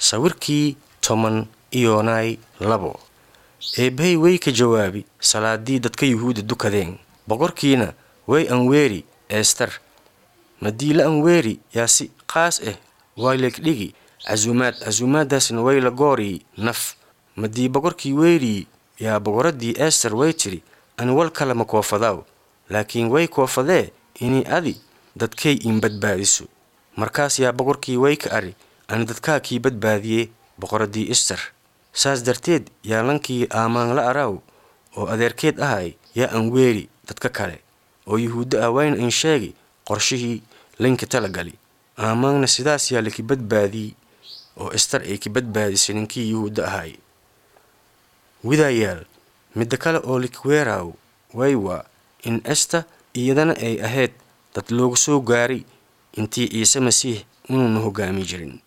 Sawirkii 12. Eebbahey way ka jawaabi salaadii dadka Yuhuudda dukadeen. Boqorkiina way anweeri Eester. Madii la anweeri yaa si qaas ah way leegdhigi casuumaad, casuumaadaasna way la gooriyi naf. Madii boqorkii weeriyi yaa boqoradii Eester way tidhi, ani wal kale ma koofadaaw, laakiin way koofadee inii adi dadkay iin badbaadiso. Markaas yaa boqorkii way ka ari, ani dadkaa kii badbaadiyey boqoradii Ester. Saas darteed yaa lankii aamaan la araaw oo adeerkeed ahay yaa anweeri dadka kale oo Yuhuudda ah, wayna in sheegi qorshihii linka talagali. Aamaanna sidaas yaa laki badbaadiyey oo Ester ay ki badbaadisay ninkii Yuhuudda ahay. Widayaal, midda kale oo likiweeraaw way waa in Ester iyadana ay ahayd dad loogu soo gaaray intii Ciise Masiix inuuna hoggaami jirin.